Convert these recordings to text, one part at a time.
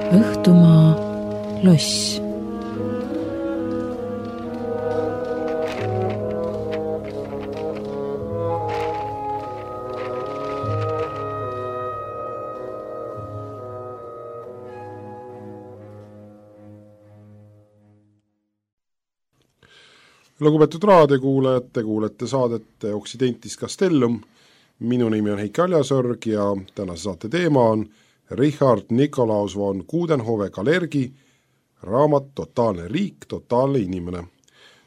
Õhtumaa loss. Lugupeetud raadiokuulajad, te kuulete saadet Occidentis Castellum. Minu nimi on Heiki Aljasõrg ja tänase saate teema on Richard Nikolaus von Coudenhove-Kalergi raamat Totaalne riik, totaalne inimene.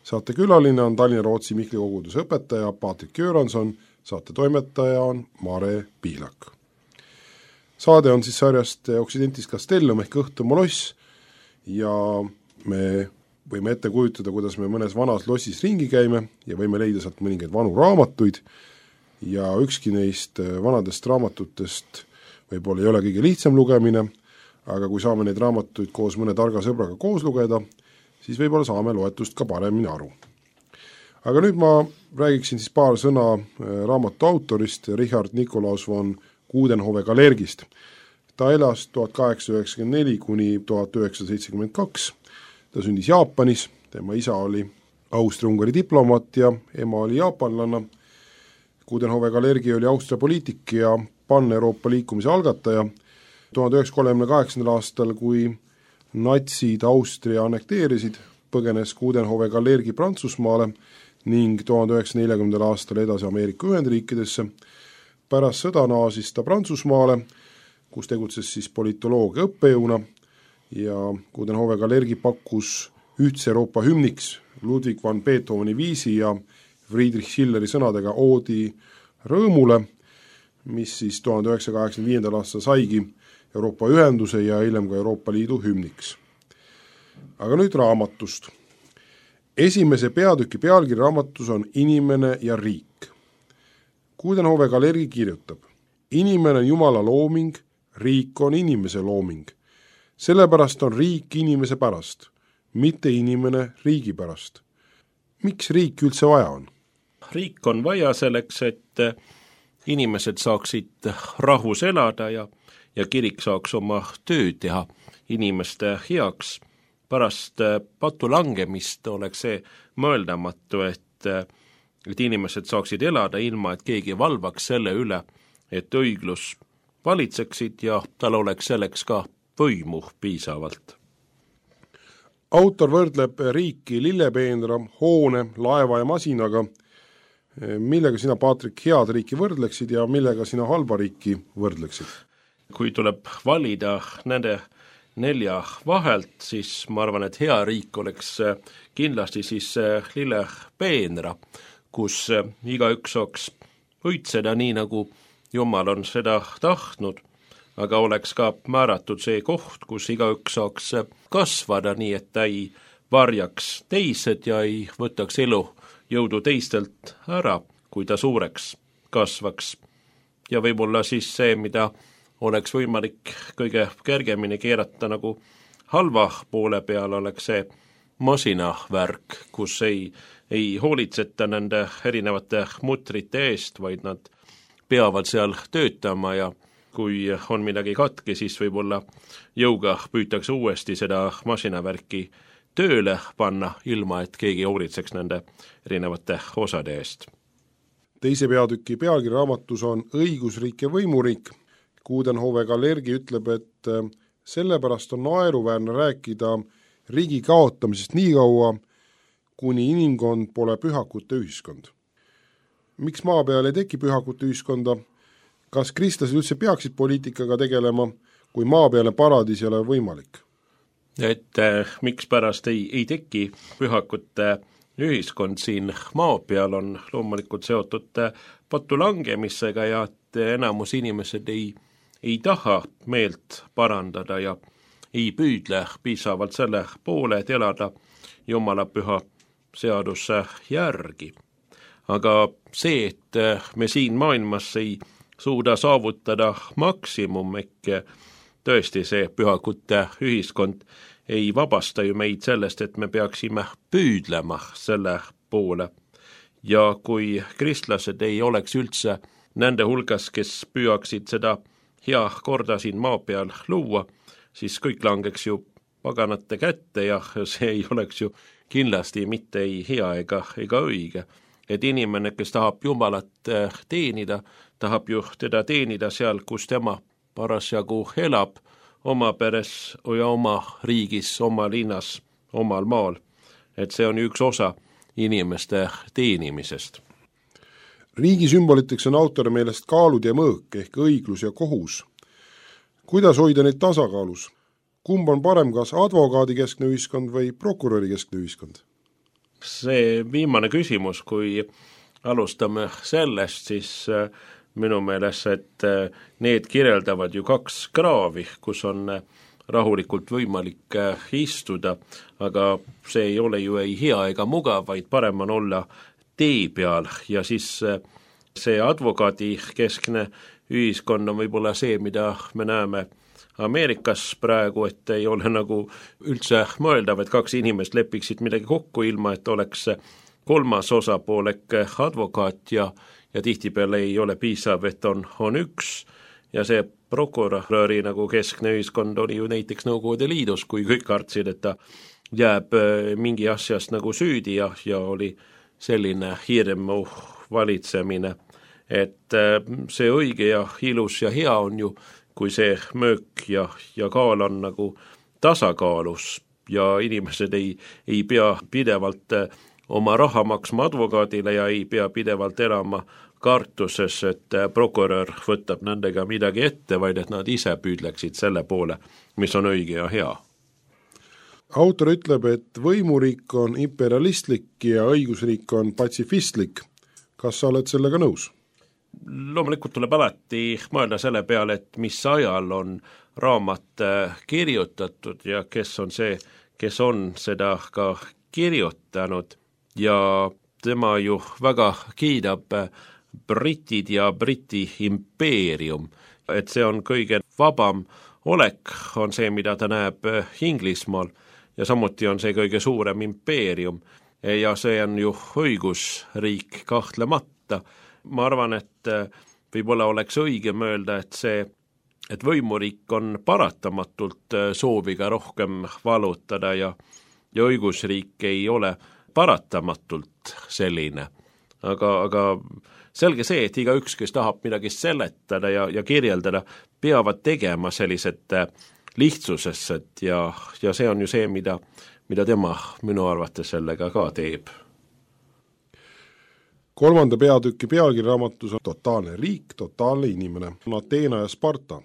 Saate külaline on Tallinna-Rootsi Mihkli koguduse õpetaja Patrik Göranson, saate toimetaja on Mare Pihlak. Saade on siis sarjast Occidentis Castellum ehk Õhtumaa loss ja me võime ette kujutada, kuidas me mõnes vanas lossis ringi käime ja võime leida sealt mõningaid vanu raamatuid ja ükski neist vanadest raamatutest võib-olla ei ole kõige lihtsam lugemine, aga kui saame neid raamatuid koos mõne targa sõbraga koos lugeda, siis võib-olla saame loetust ka paremini aru. Aga nüüd ma räägiksin siis paar sõna raamatu autorist Richard Nikolaus von Coudenhove-Kalergist. Ta elas 1894 kuni 1972. Ta sündis Jaapanis, tema isa oli Austria-Ungari diplomaat ja ema oli jaapanlanna. Coudenhove-Kalergi oli Austria poliitik ja pan-Euroopa liikumise algataja. 1938. aastal, kui natsid Austria annekteerisid, põgenes Coudenhove-Kalergi Prantsusmaale ning 1940. aastal edasi Ameerika Ühendriikidesse. Pärast sõda naasis ta Prantsusmaale, kus tegutses siis politoloogia õppejõuna ja Coudenhove-Kalergi pakkus ühtse Euroopa hümniks Ludwig van Beethoveni viisi ja Friedrich Schilleri sõnadega oodi rõõmule, mis siis 1985. aastal saigi Euroopa ühenduse ja hiljem ka Euroopa Liidu hümniks. Aga nüüd raamatust. Esimese peatüki pealkiri raamatus on Inimene ja riik. Coudenhove-Kalergi kirjutab: Inimene on Jumala looming, riik on inimese looming. Sellepärast on riik inimese pärast, mitte inimene riigi pärast. Miks riik üldse vaja on? Riik on vaja selleks, et inimesed saaksid rahus elada ja kirik saaks oma töö teha inimeste heaks. Pärast patu langemist oleks see mõeldamatu, et inimesed saaksid elada ilma, et keegi valvaks selle üle, et õiglus valitseksid ja tal oleks selleks ka võimu piisavalt. Autor võrdleb riiki lillepeenra, hoone, laeva ja masinaga. Millega sina, Patrik, head riiki võrdleksid ja millega sina halba riiki võrdleksid? Kui tuleb valida nende 4 vahelt, siis ma arvan, et hea riik oleks kindlasti siis lillepeenra, kus igaüks saaks õitseda nii, nagu Jumal on seda tahtnud, aga oleks ka määratud see koht, kus igaüks saaks kasvada nii, et ta ei varjaks teised ja ei võtaks elu jõudu teistelt ära, kui ta suureks kasvaks. Ja võib-olla siis see, mida oleks võimalik kõige kergemini keerata nagu halva poole peal, oleks see masinavärk, kus ei hoolitseta nende erinevate mutrite eest, vaid nad peavad seal töötama ja kui on midagi katki, siis võib-olla jõuga püütakse uuesti seda masinavärki tööle panna, ilma et keegi hoolitseks nende erinevate osade eest. Teise peatüki pealkiri raamatus on Õigusriik ja võimuriik. Coudenhove-Kalergi ütleb, et sellepärast on naeruväärne rääkida riigi kaotamisest nii kaua, kuni inimkond pole pühakute ühiskond. Miks maa peal ei teki pühakute ühiskonda? Kas kristlased üldse peaksid poliitikaga tegelema, kui maa peale paradiis ei ole võimalik? Et miks pärast ei teki pühakute ühiskond siin maa peal on loomulikult seotud patu langemisega ja et enamus inimesed ei taha meelt parandada ja ei püüdle piisavalt selle poole, et elada Jumala püha seaduse järgi. Aga see, et me siin maailmas ei suuda saavutada maksimum, ehk tõesti see pühakute ühiskond ei vabasta ju meid sellest, et me peaksime püüdlema selle poole. Ja kui kristlased ei oleks üldse nende hulgas, kes püüaksid seda hea korda siin maa peal luua, siis kõik langeks ju paganate kätte ja see ei oleks ju kindlasti mitte ei hea ega õige. Et inimene, kes tahab Jumalat teenida, tahab ju teda teenida seal, kus tema parasjagu elab, oma peres ja oma riigis, oma linnas, omal maal. Et see on üks osa inimeste teenimisest. Riigi sümboliteks on autori meelest kaalud ja mõõk ehk õiglus ja kohus. Kuidas hoida neid tasakaalus? Kumb on parem, kas advokaadi keskne ühiskond või prokuröri keskne ühiskond? See viimane küsimus, kui alustame sellest, siis minu meelest, et need kirjeldavad ju kaks kraavi, kus on rahulikult võimalik istuda, aga see ei ole ju ei hea ega mugav, vaid parem on olla tee peal ja siis see advokaadi keskne ühiskond on võib-olla see, mida me näeme Ameerikas praegu, et ei ole nagu üldse mõeldav, et kaks inimest lepiksid midagi kokku, ilma et oleks kolmas osapool ehk advokaat ja tihtipeale ei ole piisav, et on üks ja see prokuröri nagu keskne ühiskond oli ju näiteks Nõukogude Liidus, kui kõik kartsid, et ta jääb mingi asjast nagu süüdi ja oli selline hirmu valitsemine, et see õige ja ilus ja hea on ju, kui see möök ja kaal on nagu tasakaalus ja inimesed ei pea pidevalt oma raha maksma advokaadile ja ei pea pidevalt elama kartuses, et prokurör võtab nendega midagi ette, vaid et nad ise püüdleksid selle poole, mis on õige ja hea. Autor ütleb, et võimuriik on imperialistlik ja õigusriik on patsifistlik. Kas sa oled sellega nõus? Loomulikult tuleb alati mõelda selle peale, et mis ajal on raamat kirjutatud ja kes on see, kes on seda ka kirjutanud ja tema ju väga kiidab britid ja Briti impeerium, et see on kõige vabam olek, on see, mida ta näeb Inglismaal ja samuti on see kõige suurem impeerium ja see on ju õigusriik kahtlemata. Ma arvan, et võib-olla oleks õige mõelda, et võimuriik on paratamatult sooviga rohkem valutada ja õigusriik ei ole paratamatult selline. Aga selge see, et igaüks, kes tahab midagi seletada ja kirjeldada, peavad tegema sellised lihtsusest ja see on ju see, mida tema minu arvates sellega ka teeb. 3. peatüki pealkiri raamatus on Totaalne riik, totaalne inimene, Ateena ja Sparta.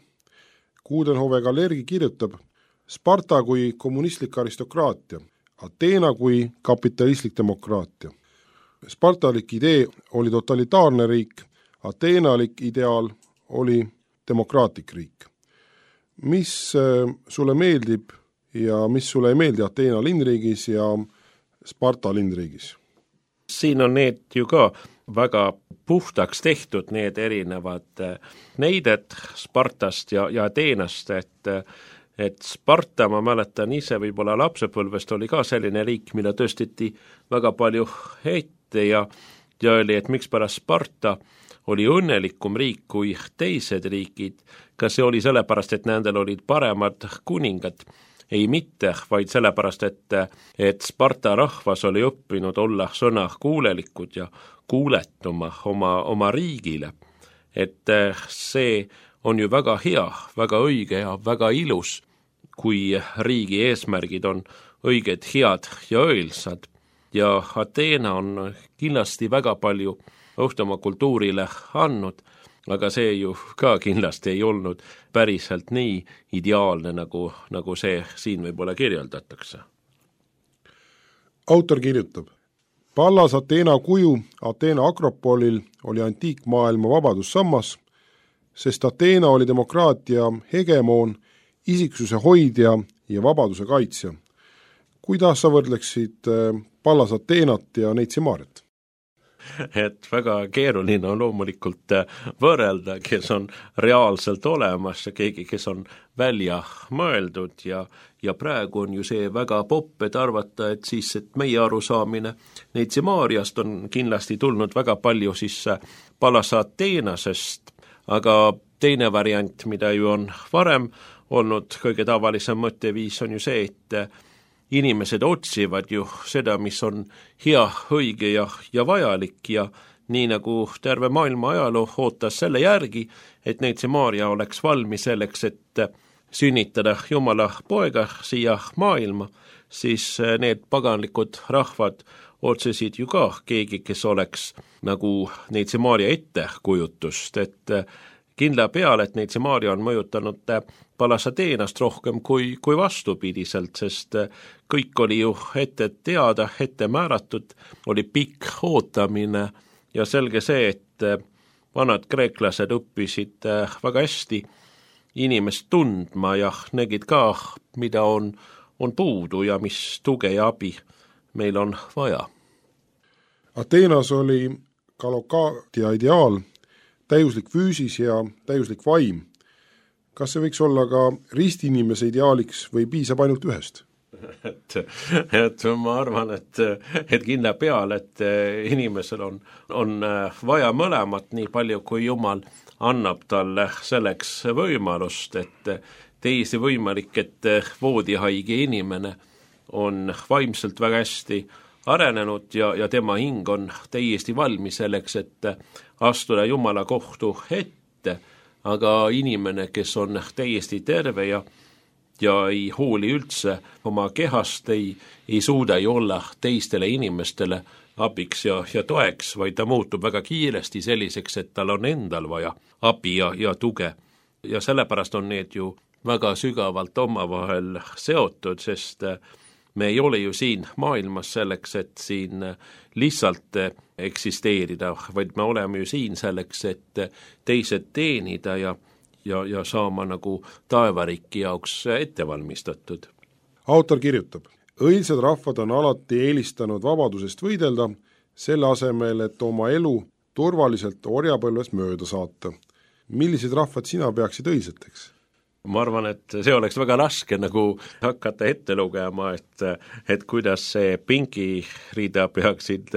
Coudenhove Kalergi kirjutab, Sparta kui kommunistlik aristokraatia, Ateena kui kapitalistlik demokraatia. Spartalik idee oli totalitaarne riik, ateenalik ideaal oli demokraatlik riik. Mis sulle meeldib ja mis sulle ei meeldi Ateena linnriigis ja Sparta linnriigis? Siin on need ju ka väga puhtaks tehtud, need erinevad neided Spartast ja Ateenast, et Sparta, ma mäletan ise võib-olla lapsepõlvest, oli ka selline riik, mida tõsteti väga palju ette ja oli, et miks pärast Sparta oli õnnelikum riik kui teised riigid, kas see oli sellepärast, et nendel olid paremad kuningad, ei mitte, vaid sellepärast, et Sparta rahvas oli õppinud olla sõna kuulelikud ja kuuletuma oma riigile. Et see on ju väga hea, väga õige ja väga ilus, kui riigi eesmärgid on õiged, head ja õilsad. Ja Ateena on kindlasti väga palju õhtuma kultuurile andnud, aga see ju ka kindlasti ei olnud päriselt nii ideaalne, nagu see siin võib-olla kirjeldatakse. Autor kirjutab, Pallas Ateena kuju Ateena Akropolil oli antiikmaailma vabadussammas, sest Ateena oli demokraatia hegemoon, isiksuse hoidja ja vabaduse kaitsja. Kuidas sa võrdleksid Pallas Ateenat ja Neitsi Maarjat? Et väga keeruline on loomulikult võrrelda, kes on reaalselt olemas ja keegi, kes on välja mõeldud ja praegu on ju see väga popp, et arvata, et meie arusaamine Neitsi Maarjast on kindlasti tulnud väga palju Pallas Ateenasest, aga teine variant, mida ju on varem olnud, kõige tavalisem mõtteviis on ju see, et inimesed otsivad ju seda, mis on hea, õige ja vajalik ja nii nagu terve maailma ajaloo ootas selle järgi, et Neitsi Maarja oleks valmis selleks, et sünnitada Jumala poega siia maailma, siis need paganlikud rahvad otsesid ju ka keegi, kes oleks nagu Neitsi Maarja ettekujutust, et kindla peale, et Neitsi Maarja on mõjutanud Palasateenast rohkem kui vastupidiselt, sest kõik oli ju ette teada, ette määratud, oli pikk ootamine ja selge see, et vanad kreeklased õppisid väga hästi inimest tundma ja nägid ka, mida on puudu ja mis tuge ja abi meil on vaja. Ateenas oli Kalokaatia ideaal, täiuslik füüsis ja täiuslik vaim. Kas see võiks olla ka ristiinimese ideaaliks või piisab ainult ühest? Et ma arvan, et kindla peale, et inimesel on vaja mõlemat nii palju, kui Jumal annab talle selleks võimalust, et täiesti võimalik, et voodihaige inimene on vaimselt väga hästi arenenud ja tema hing on täiesti valmis selleks, et astuda Jumala kohtu ette, aga inimene, kes on täiesti terve ja ei hooli üldse oma kehast, ei suuda ju olla teistele inimestele abiks ja toeks, vaid ta muutub väga kiiresti selliseks, et tal on endal vaja abi ja tuge. Ja sellepärast on need ju väga sügavalt omavahel seotud, sest me ei ole ju siin maailmas selleks, et siin lihtsalt eksisteerida, vaid me oleme ju siin selleks, et teised teenida ja saama nagu taevariiki jaoks ettevalmistatud. Autor kirjutab, õilsad rahvad on alati eelistanud vabadusest võidelda, selle asemel, et oma elu turvaliselt orjapõlvest mööda saata. Millised rahvad sina peaksid õilseteks? Ma arvan, et see oleks väga raske nagu hakata ette lugema, et kuidas see pingirida peaksid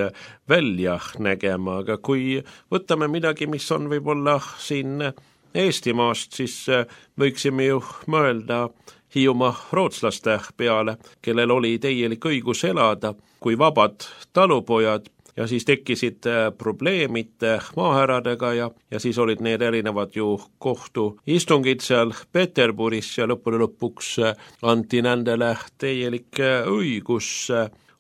välja nägema, aga kui võtame midagi, mis on võib-olla siin Eestimaast, siis võiksime ju mõelda Hiiumaa rootslaste peale, kellel oli täielik õigus elada kui vabad talupojad, ja siis tekkisid probleemid maahäradega ja siis olid need erinevad ju kohtuistungid seal Peterburis ja lõpuks anti nendele täielik õigus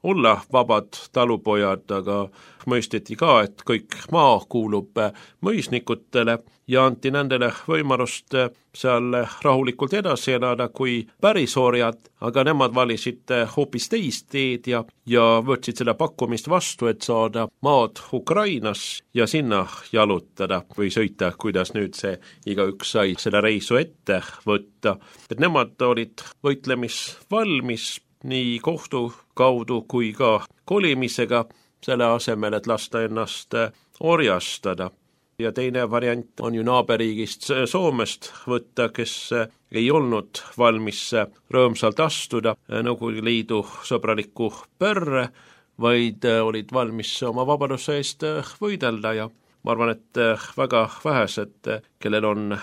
olla vabad talupojad, aga mõisteti ka, et kõik maa kuulub mõisnikutele ja anti nendele võimalust seal rahulikult edasi elada kui pärisorjad, aga nemad valisid hoopis teist teed ja võtsid seda pakkumist vastu, et saada maad Ukrainas ja sinna jalutada või sõita, kuidas nüüd see igaüks sai seda reisu ette võtta. Et nemad olid võitlemisvalmis nii kohtu kaudu kui ka kolimisega selle asemel, et lasta ennast orjastada. Ja teine variant on ju naaberriigist Soomest võtta, kes ei olnud valmis rõõmsalt astuda Nõukogude Liidu sõbralikku perre, vaid olid valmis oma vabaduse eest võidelda ja ma arvan, et väga vähesed, kellel on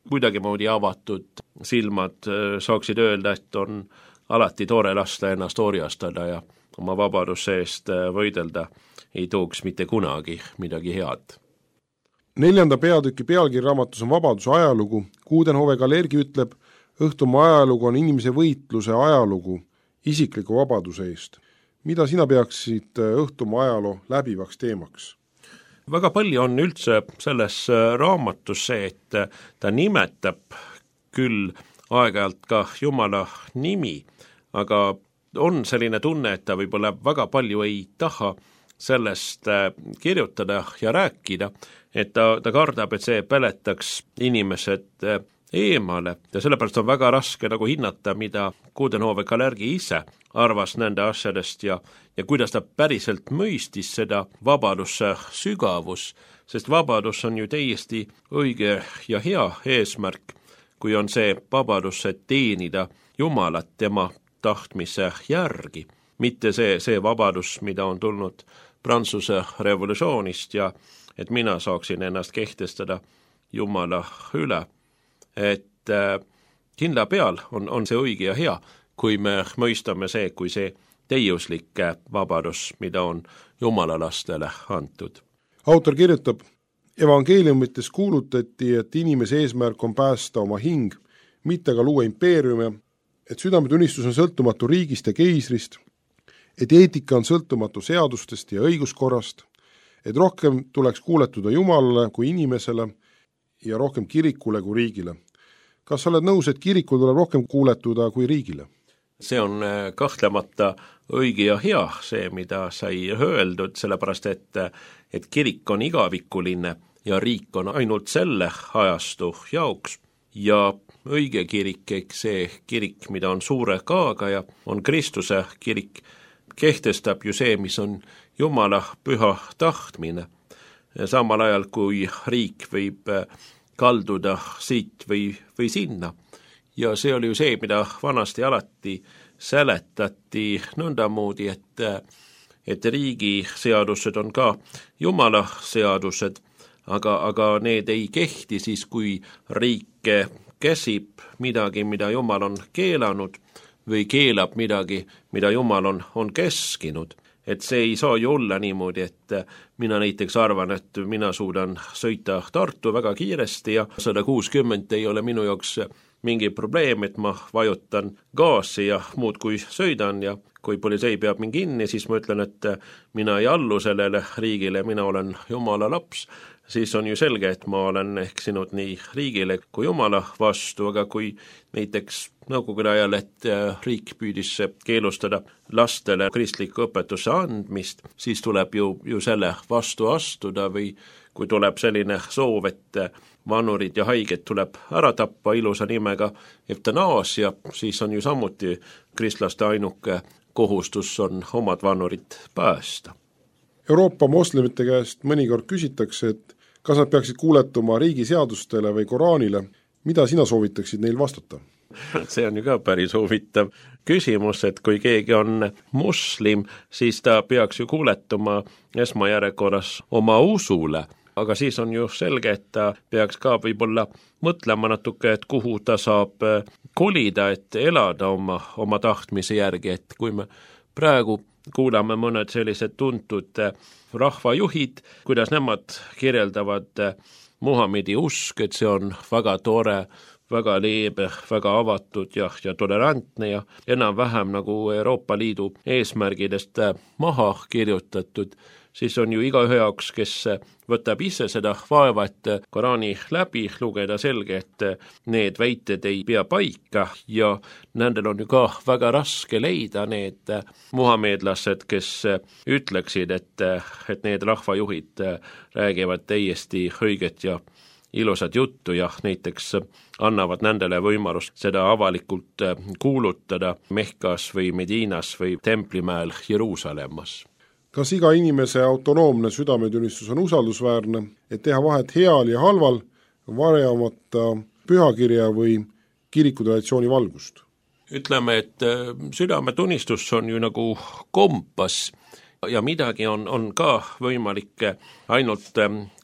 kuidagimoodi avatud silmad, saaksid öelda, et on alati tore lasta ennast orjastada ja oma vabaduse eest võidelda ei tooks mitte kunagi midagi head. 4. peatüki pealkirjaraamatus on vabaduse ajalugu. Coudenhove Kalergi ütleb, õhtumaa ajalugu on inimese võitluse ajalugu isikliku vabaduse eest. Mida sina peaksid õhtumaa ajaloo läbivaks teemaks? Väga palju on üldse selles raamatus see, et ta nimetab küll aeg-ajalt ka Jumala nimi, aga on selline tunne, et ta võib-olla väga palju ei taha sellest kirjutada ja rääkida, et ta kardab, et see peletaks inimesed eemale ja sellepärast on väga raske nagu hinnata, mida Coudenhove Kalergi ise arvas nende asjadest ja kuidas ta päriselt mõistis seda vabaduse sügavus, sest vabadus on ju täiesti õige ja hea eesmärk, kui on see vabadus, et teenida Jumalat tema tahtmise järgi, mitte see vabadus, mida on tulnud Prantsuse revolutsioonist ja et mina saaksin ennast kehtestada Jumala üle, et kindla peal on see õige ja hea, kui me mõistame see, kui see täiuslik vabadus, mida on Jumala lastele antud. Autor kirjutab, evangeeliumites kuulutati, et inimese eesmärk on päästa oma hing, mitte ka luua impeeriume, et südametunnistus on sõltumatu riigist ja keisrist, et eetika on sõltumatu seadustest ja õiguskorrast, et rohkem tuleks kuuletuda Jumalale kui inimesele ja rohkem kirikule kui riigile. Kas sa oled nõus, et kirikul tuleb rohkem kuuletuda kui riigile? See on kahtlemata õige ja hea, see, mida sai öeldud, sellepärast, et kirik on igavikuline ja riik on ainult selle ajastu jaoks ja õige kirik, see kirik, mida on suure kaaga ja on Kristuse kirik, kehtestab ju see, mis on Jumala püha tahtmine. Samal ajal, kui riik võib kalduda siit või sinna. Ja see oli ju see, mida vanasti alati seletati nõndamoodi, et riigi seadused on ka Jumala seadused, aga need ei kehti siis, kui riik käsib midagi, mida Jumal on keelanud või keelab midagi, mida Jumal on keskinud. Et see ei saa ju olla niimoodi, et mina näiteks arvan, et mina suudan sõita Tartu väga kiiresti ja 160 ei ole minu jaoks mingi probleem, et ma vajutan gaasi ja muud kui sõidan ja kui politsei peab mind kinni, siis ma ütlen, et mina ei allu sellele riigile, mina olen Jumala laps, siis on ju selge, et ma olen eksinud nii riigile kui Jumala vastu, aga kui näiteks nõukogude ajal, et riik püüdis keelustada lastele kristliku õpetuse andmist, siis tuleb ju selle vastu astuda või kui tuleb selline soov, et vanurid ja haiged tuleb ära tappa ilusa nimega eutanaasia, siis on ju samuti kristlaste ainuke kohustus on omad vanurid päästa. Euroopa moslemite käest mõnikord küsitakse, et kas nad peaksid kuuletuma riigiseadustele või Koraanile, mida sina soovitaksid neil vastata? See on ju ka päris huvitav küsimus, et kui keegi on muslim, siis ta peaks ju kuuletuma esmajärjekorras oma usule, aga siis on ju selge, et ta peaks ka võib-olla mõtlema natuke, et kuhu ta saab kolida, et elada oma tahtmise järgi, et kui me praegu kuulame mõned sellised tuntud rahvajuhid, kuidas nemad kirjeldavad Muhamedi usk, et see on väga tore, väga leebe, väga avatud ja tolerantne ja enam-vähem nagu Euroopa Liidu eesmärgidest maha kirjutatud, siis on ju igaühe jaoks, kes võtab ise seda vaeva, et Koraani läbi lugeda selge, et need väited ei pea paika ja nendel on ju ka väga raske leida need muhameedlased, kes ütleksid, et need rahvajuhid räägivad täiesti õiget ja ilusat juttu ja näiteks annavad nendele võimalust seda avalikult kuulutada Mehkas või Medinas või Templimäel Jeruusalemmas. Kas iga inimese autonoomne südametunnistus on usaldusväärne, et teha vahet heal ja halval, varjamata pühakirja või kirikutraditsiooni valgust? Ütleme, et südametunnistus on ju nagu kompass ja midagi on ka võimalik ainult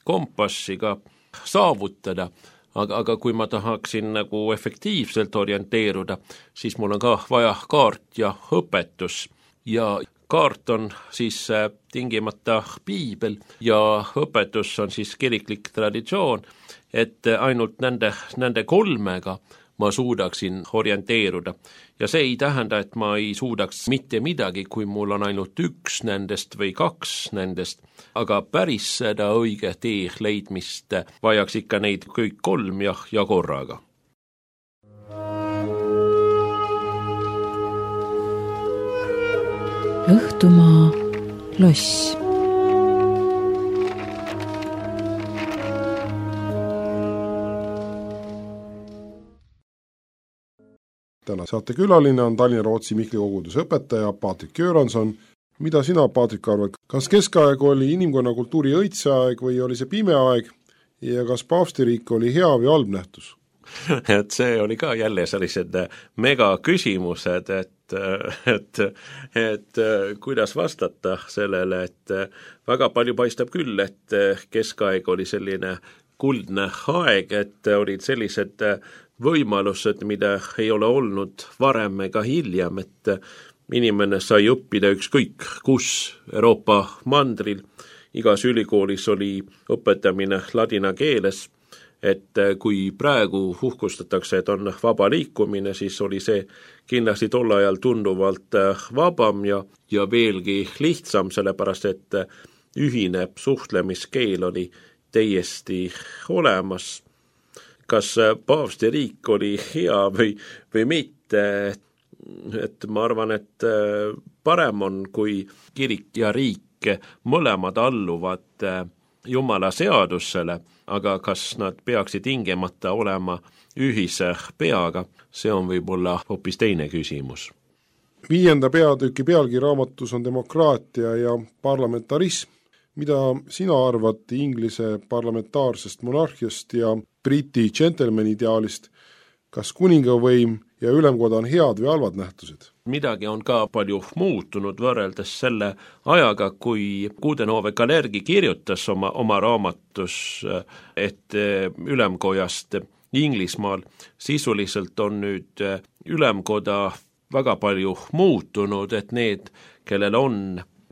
kompassiga saavutada, aga kui ma tahaksin nagu efektiivselt orienteeruda, siis mul on ka vaja kaart ja õpetus ja kaart on siis tingimata piibel ja õpetus on siis kiriklik traditsioon, et ainult nende kolmega ma suudaksin orienteeruda. Ja see ei tähenda, et ma ei suudaks mitte midagi, kui mul on ainult üks nendest või kaks nendest, aga päris seda õige tee leidmist vajaks ikka neid kõik kolm ja korraga. Õhtumaa loss. Täna saate külaline on Tallinna-Rootsi Mihkli koguduse õpetaja Patrik Göranson. Mida sina, Patrik, arvad? Kas keskaeg oli inimkonna kultuuri õitseaeg või oli see pime aeg ja kas paavstiriik oli hea või halb nähtus? Et see oli ka jälle sellised mega küsimused, et kuidas vastata sellele, et väga palju paistab küll, et keskaeg oli selline kuldne aeg, et olid sellised võimalused, mida ei ole olnud varem ega hiljem, et inimene sai õppida ükskõik kus Euroopa mandril, igas ülikoolis oli õpetamine ladina keeles, et kui praegu uhkustatakse, et on vaba liikumine, siis oli see kindlasti tol ajal tunduvalt vabam ja veelgi lihtsam, sellepärast et ühine suhtlemiskeel oli täiesti olemas. Kas paavsti riik oli hea või mitte, et ma arvan, et parem on, kui kirik ja riik mõlemad alluvad Jumala seadusele, aga kas nad peaksid tingimata olema ühise peaga, see on võib-olla hoopis teine küsimus. 5. peatüki pealgi raamatus on demokraatia ja parlamentarism. Mida sina arvad Inglise parlamentaarsest monarhiast ja Briti gentleman ideaalist? Kas kuningavõim ja ülemkoda on head või halvad nähtused? Midagi on ka palju muutunud võrreldes selle ajaga, kui Coudenhove Kalergi kirjutas oma raamatus, et ülemkojast Inglismaal sisuliselt on nüüd ülemkoda väga palju muutunud, et need, kellel on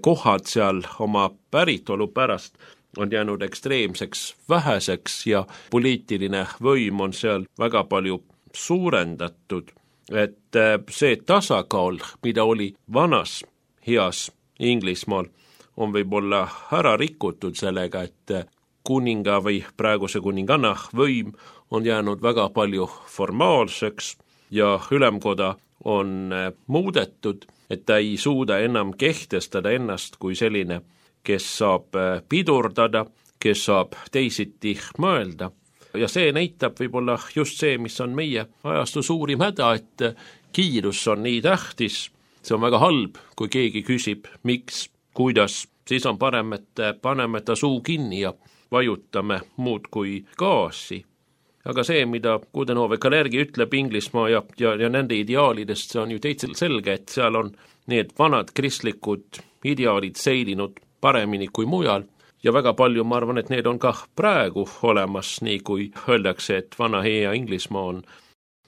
kohad seal oma päritolu pärast, on jäänud ekstreemseks väheseks ja poliitiline võim on seal väga palju suurendatud, et see tasakaal, mida oli vanas heas Inglismaal, on võib-olla ära rikutud sellega, et kuninga või praeguse kuninganna võim on jäänud väga palju formaalseks ja ülemkoda on muudetud, et ta ei suuda enam kehtestada ennast kui selline, kes saab pidurdada, kes saab teisiti mõelda. Ja see näitab võib-olla just see, mis on meie ajastu suurim häda, et kiirus on nii tähtis, see on väga halb, kui keegi küsib, miks, kuidas, siis on parem, et paneme ta suu kinni ja vajutame muud kui gaasi. Aga see, mida Coudenhove Kalergi ütleb Inglismaa ja nende ideaalidest, see on ju täitsa selge, et seal on need vanad kristlikud ideaalid säilinud paremini kui mujal ja väga palju, ma arvan, et need on ka praegu olemas, nii kui öeldakse, et vana hea Inglismaa on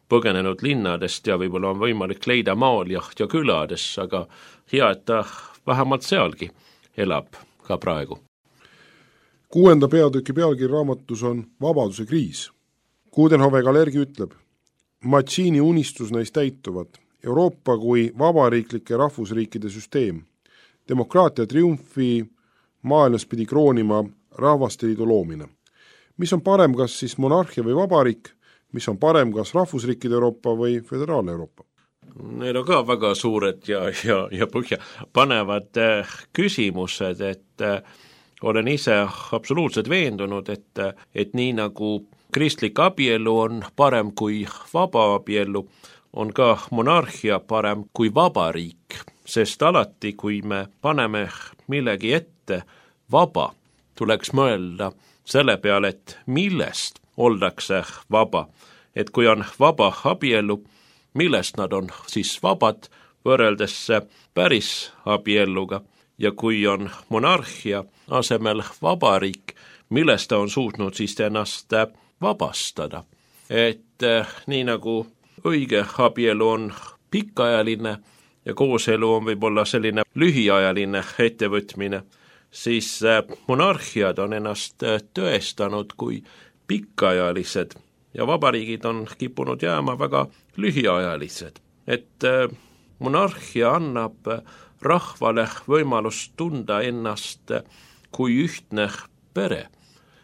põgenenud linnadest ja võib-olla on võimalik leida maal ja külades, aga hea, et ta vähemalt sealgi elab ka praegu. 6. peatüki pealkiri raamatus on Vabaduse kriis. Coudenhove Kalergi ütleb, Mazzini unistus neist täituvad, Euroopa kui vabariiklike rahvusriikide süsteem. Demokraatia triumfi maailmas pidi kroonima rahvasteliidu loomine. Mis on parem, kas siis monarhia või vabariik, mis on parem, kas rahvusriikide Euroopa või föderaalne Euroopa? Need on ka väga suured ja põhja panevad küsimused, et olen ise absoluutselt veendunud, et nii nagu kristlik abielu on parem kui vaba abielu, on ka monarhia parem kui vabariik, sest alati, kui me paneme millegi ette vaba, tuleks mõelda selle peale, et millest oldakse vaba, et kui on vaba abielu, millest nad on siis vabad võrreldes päris abielluga ja kui on monarhia asemel vabariik, millest ta on suutnud siis ennast vabastada. Et nii nagu õige abielu on pikaajaline ja kooselu on võib-olla selline lühiajaline ettevõtmine, siis monarhiad on ennast tõestanud kui pikaajalised ja vabariigid on kippunud jääma väga lühiajalised. Et monarhia annab rahvale võimalust tunda ennast kui ühtne pere,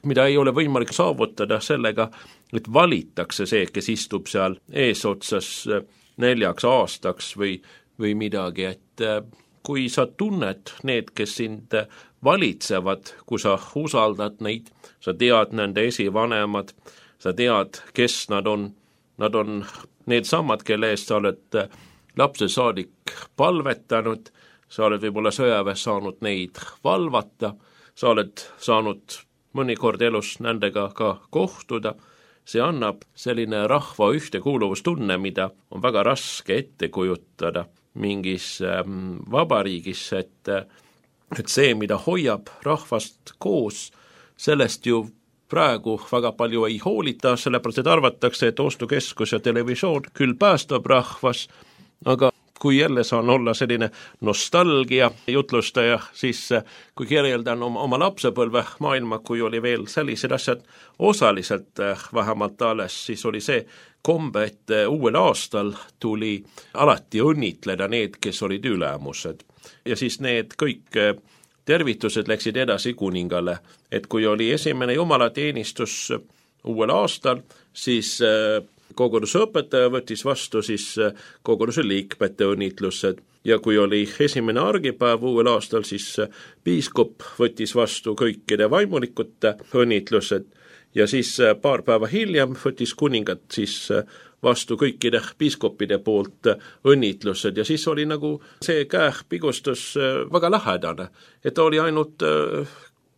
mida ei ole võimalik saavutada sellega, et valitakse see, kes istub seal eesotsas 4 aastaks või midagi, et kui sa tunned need, kes sind valitsevad, kui sa usaldad neid, sa tead nende esivanemad, sa tead, kes nad on need samad, kelle eest sa oled lapse saadik palvetanud, sa oled võib-olla sõjaväes saanud neid valvata, sa oled saanud mõnikord elus nendega ka kohtuda, see annab selline rahva ühtekuuluvustunne, mida on väga raske ette kujutada mingis vabariigis, et see, mida hoiab rahvast koos, sellest ju praegu väga palju ei hoolita, sellepärast et arvatakse, et ostukeskus ja televisioon küll päästab rahvas, aga kui jälle saan olla selline nostalgia jutlustaja, siis kui kirjeldan oma lapsepõlve maailma, kui oli veel sellised asjad osaliselt vähemalt alles, siis oli see kombe, et uuel aastal tuli alati õnnitleda need, kes olid ülemused. Ja siis need kõik tervitused läksid edasi kuningale, et kui oli esimene jumalateenistus uuel aastal, siis koguduse õpetaja võttis vastu siis koguduse liikmete õnnitlused ja kui oli esimene argipäev uuel aastal, siis piiskop võttis vastu kõikide vaimulikute õnnitlused ja siis paar päeva hiljem võttis kuningat siis vastu kõikide piiskopide poolt õnnitlused ja siis oli nagu see käepigustus väga lähedane, et oli ainult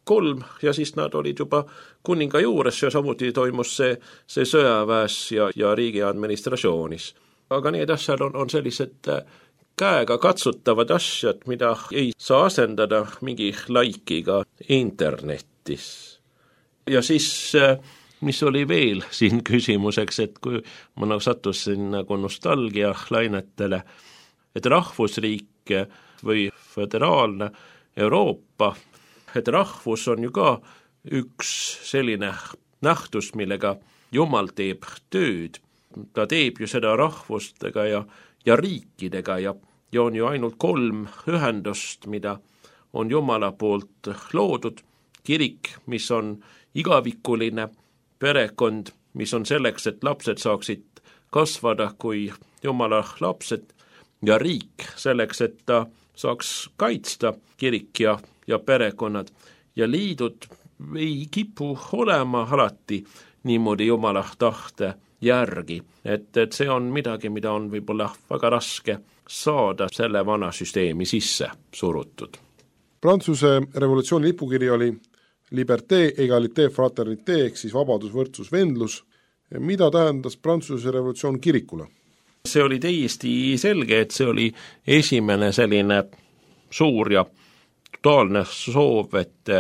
3 ja siis nad olid juba kuninga juures ja samuti toimus see sõjaväes ja riigi administratsioonis. Aga need asjad on sellised käega katsutavad asjad, mida ei saa asendada mingi laikiga internetis. Ja siis, mis oli veel siin küsimuseks, et kui ma sattusin nagu nostalgia lainetele, et rahvusriik või föderaalne Euroopa, et rahvus on ju ka üks selline nähtus, millega Jumal teeb tööd. Ta teeb ju seda rahvustega ja riikidega ja on ju ainult 3 ühendust, mida on Jumala poolt loodud. Kirik, mis on igavikuline, perekond, mis on selleks, et lapsed saaksid kasvada kui Jumala lapsed ja riik selleks, et ta saaks kaitsta kirik ja perekonnad ja liidud ei kipu olema alati niimoodi Jumala tahte järgi, et see on midagi, mida on võib-olla väga raske saada selle vana süsteemi sisse surutud. Prantsuse revolutsiooni lipukiri oli liberté, égalité, fraternité ehk siis vabadus, võrdsus, vendlus. Mida tähendas Prantsuse revolutsioon kirikule? See oli täiesti selge, et see oli esimene selline suur ja totaalne soov, et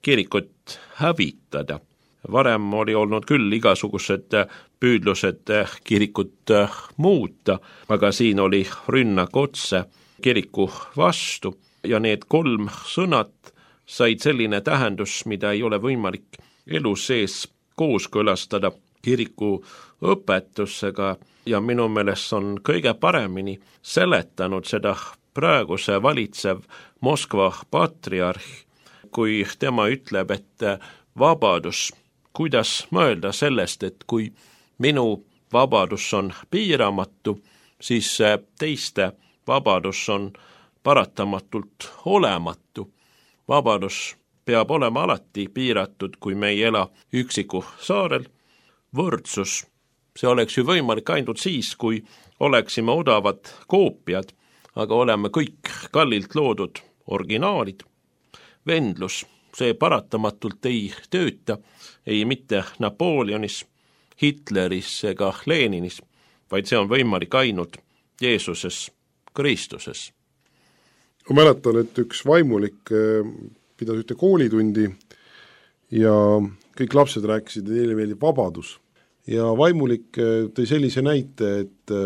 kirikut hävitada. Varem oli olnud küll igasugused püüdlused kirikut muuta, aga siin oli rünnak otse kiriku vastu ja need 3 sõnad said selline tähendus, mida ei ole võimalik elu sees kooskõlastada kiriku õpetusega ja minu meelest on kõige paremini seletanud seda praeguse valitsev Moskva patriarh, kui tema ütleb, et vabadus, kuidas mõelda sellest, et kui minu vabadus on piiramatu, siis teiste vabadus on paratamatult olematu. Vabadus peab olema alati piiratud, kui me ei ela üksiku saarel. Võrdsus, see oleks ju võimalik ainult siis, kui oleksime odavad koopiad, aga oleme kõik kallilt loodud originaalid. Vendlus, see paratamatult ei tööta, ei mitte Napoleonis, Hitleris ega Leninis, vaid see on võimalik ainult Jeesuses Kristuses. Ma mäletan, et üks vaimulik pidas ühte koolitundi ja kõik lapsed rääkisid, et neile meeldib vabadus. Ja vaimulik tõi sellise näite, et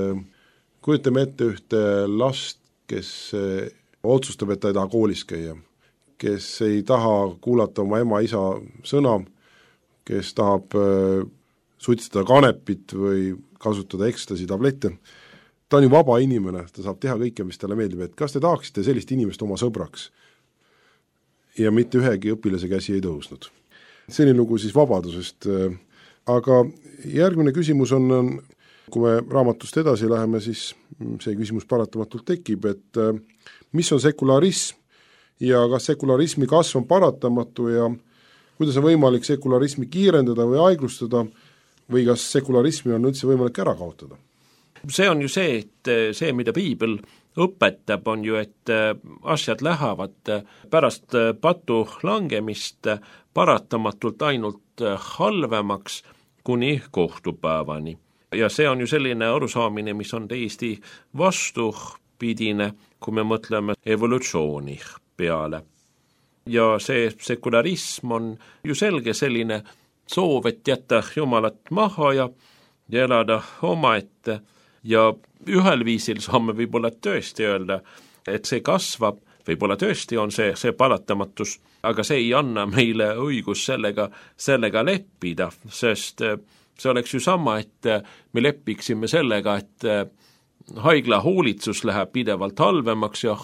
kujutame ette ühte last, kes otsustab, et ta ei taha koolis käia, kes ei taha kuulata oma ema-isa sõna, kes tahab suitsetada kanepit või kasutada ekstasi tablette. Ta on ju vaba inimene, ta saab teha kõike, mis talle meeldib, et kas te tahaksite sellist inimest oma sõbraks? Ja mitte ühegi õpilase käsi ei tõusnud. Selline lugu siis vabadusest. Aga järgmine küsimus on, kui me raamatust edasi läheme, siis see küsimus paratamatult tekib, et mis on sekularism ja kas sekularismi kasv on paratamatu ja kuidas on võimalik sekularismi kiirendada või aeglustada või kas sekularismi on üldse võimalik ära kaotada? See on ju see, et see, mida piibel õpetab, on ju, et asjad lähevad pärast patu langemist paratamatult ainult halvemaks kuni kohtupäevani. Ja see on ju selline arusaamine, mis on täiesti vastupidine, kui me mõtleme evolutsiooni peale. Ja see sekularism on ju selge selline soov, et jätta Jumalat maha ja elada omaette ja ühel viisil saame võib-olla tõesti öelda, et see kasvab, võib-olla tõesti on see paratamatus, aga see ei anna meile õigus sellega leppida, sest see oleks ju sama, et me leppiksime sellega, et haigla hoolitsus läheb pidevalt halvemaks ja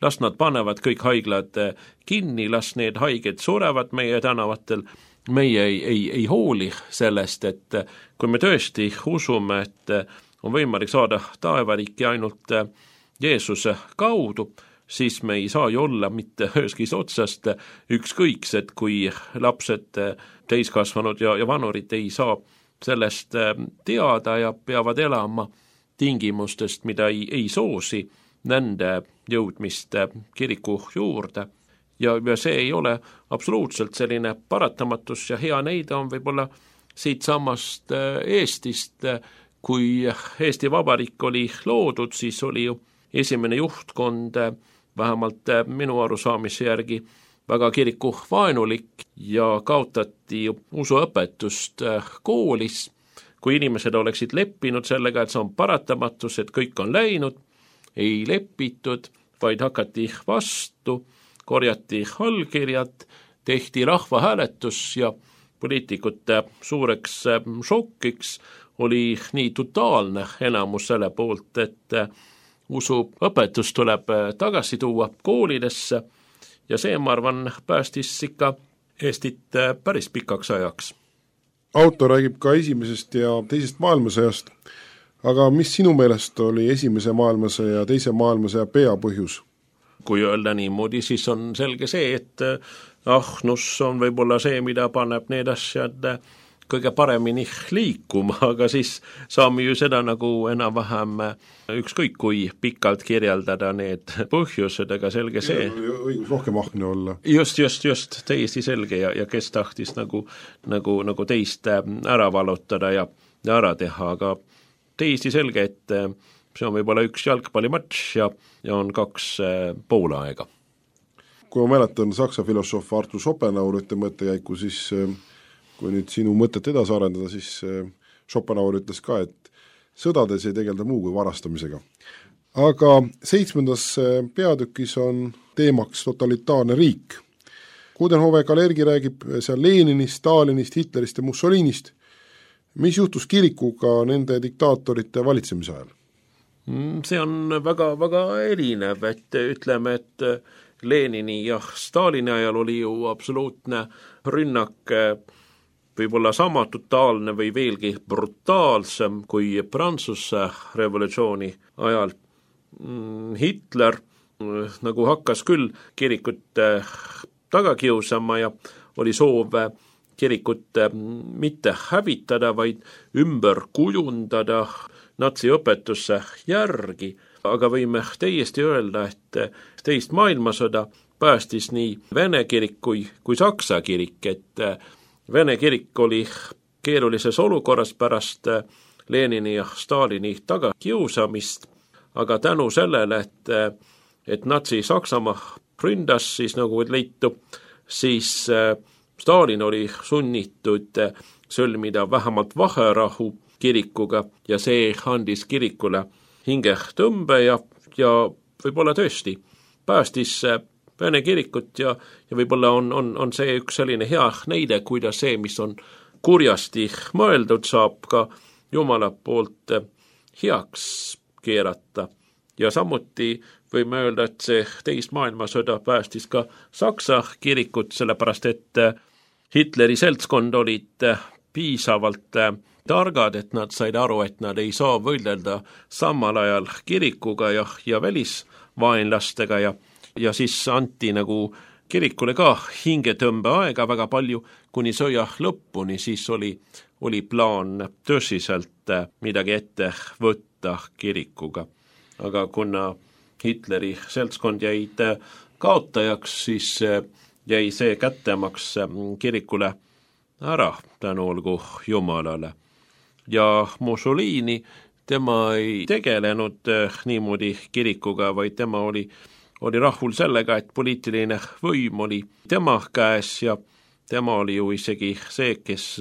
las nad panevad kõik haiglad kinni, las need haiged surevad meie tänavatel, meie ei hooli sellest, et kui me tõesti usume, et on võimalik saada taevariiki ainult Jeesuse kaudu, siis me ei saa ju olla mitte üheskis otsast ükskõiksed, kui lapsed, täiskasvanud ja vanurid ei saa sellest teada ja peavad elama tingimustest, mida ei soosi nende jõudmist kiriku juurde. Ja see ei ole absoluutselt selline paratamatus ja hea näide on võib-olla siit samast Eestist, kui Eesti Vabariik oli loodud, siis oli ju esimene juhtkond, vähemalt minu arusaamise järgi, väga kiriku vaenulik ja kaotati usuõpetust koolis. Kui inimesed oleksid leppinud sellega, et see on paratamatus, et kõik on läinud, ei lepitud, vaid hakati vastu, korjati allkirjad, tehti rahvahääletus ja poliitikute suureks šokiks oli nii totaalne enamus selle poolt, et usuõpetus tuleb tagasi tuua koolidesse ja see, ma arvan, päästis ikka Eestit päris pikaks ajaks. Autor räägib ka esimesest ja teisest maailmasõjast, aga mis sinu meelest oli esimese maailmasõja ja teise maailmasõja peapõhjus? Kui öelda niimoodi, siis on selge see, et ahnus on võib-olla see, mida paneb need asjad kõige paremini liikuma, aga siis saame ju seda nagu enam-vähem ükskõik kui pikalt kirjeldada need põhjused, aga selge see. Õigus rohkem ahne olla. Just, täiesti selge ja kes tahtis nagu teist ära valutada ja ära teha, aga täiesti selge, et see on võib-olla üks jalgpallimatš ja on 2 poolaega. Kui ma mäletan saksa filosoof Arthur Schopenhauer ütte mõttekäiku, siis kui nüüd sinu mõtet edasi arendada, siis Schopenhauer ütles ka, et sõdades ei tegelda muu kui varastamisega. Aga 7. peatükis on teemaks totalitaarne riik. Coudenhove Kalergi räägib seal Leninist, Stalinist, Hitlerist ja Mussolinist. Mis juhtus kirikuga nende diktaatorite valitsemise ajal? See on väga, väga erinev, et ütleme, et Lenini ja Stalini ajal oli ju absoluutne rünnak, võib-olla sama totaalne või veelgi brutaalsem kui Prantsuse revolutsiooni ajal. Hitler nagu hakkas küll kirikut taga kiusama ja oli soov kirikut mitte hävitada, vaid ümber kujundada natsiõpetusse järgi, aga võime täiesti öelda, et teist maailmasõda päästis nii Vene kirik kui Saksa kirik, et Vene kirik oli keerulises olukorras pärast Lenini ja Stalini tagakiusamist, aga tänu sellele, et natsi Saksamaa ründas, siis nagu leitu, siis Stalin oli sunnitud sõlmida vähemalt vaherahu kirikuga ja see andis kirikule hingetõmbe ja võib-olla tõesti päästis Vene kirikut ja võib-olla on see üks selline hea näide, kuidas see, mis on kurjasti mõeldud, saab ka Jumala poolt heaks keerata. Ja samuti võime öelda, et see teist maailmasõda päästis ka Saksa kirikut, sellepärast et Hitleri seltskond olid piisavalt targad, et nad said aru, et nad ei saa võidelda samal ajal kirikuga ja välisvaenlastega ja siis anti nagu kirikule ka hingetõmbe aega väga palju, kuni sõja lõpuni, siis oli plaan tõsiselt midagi ette võtta kirikuga. Aga kuna Hitleri seltskond jäid kaotajaks, siis jäi see kättemaks kirikule ära, tänu olgu Jumalale. Ja Mussolini, tema ei tegelenud niimoodi kirikuga, vaid tema oli rahul sellega, et poliitiline võim oli tema käes ja tema oli ju isegi see, kes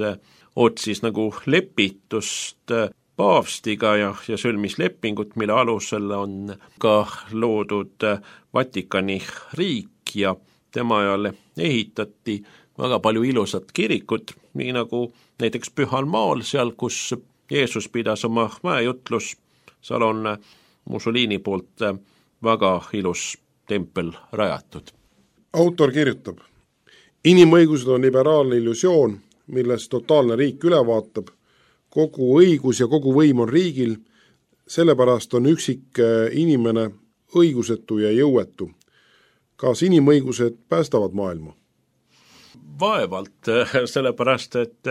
otsis nagu lepitust paavstiga ja sõlmis lepingut, mille alusel on ka loodud Vatikani riik ja tema ajal ehitati väga palju ilusat kirikut, nii nagu näiteks Pühal Maal, seal kus Jeesus pidas oma mäejutlus, seal on Mussolini poolt väga ilus tempel rajatud. Autor kirjutab: inimõigused on liberaalne illusioon, milles totaalne riik üle vaatab, kogu õigus ja kogu võim on riigil, sellepärast on üksik inimene õigusetu ja jõuetu. Kas inimõigused päästavad maailma? Vaevalt, sellepärast, et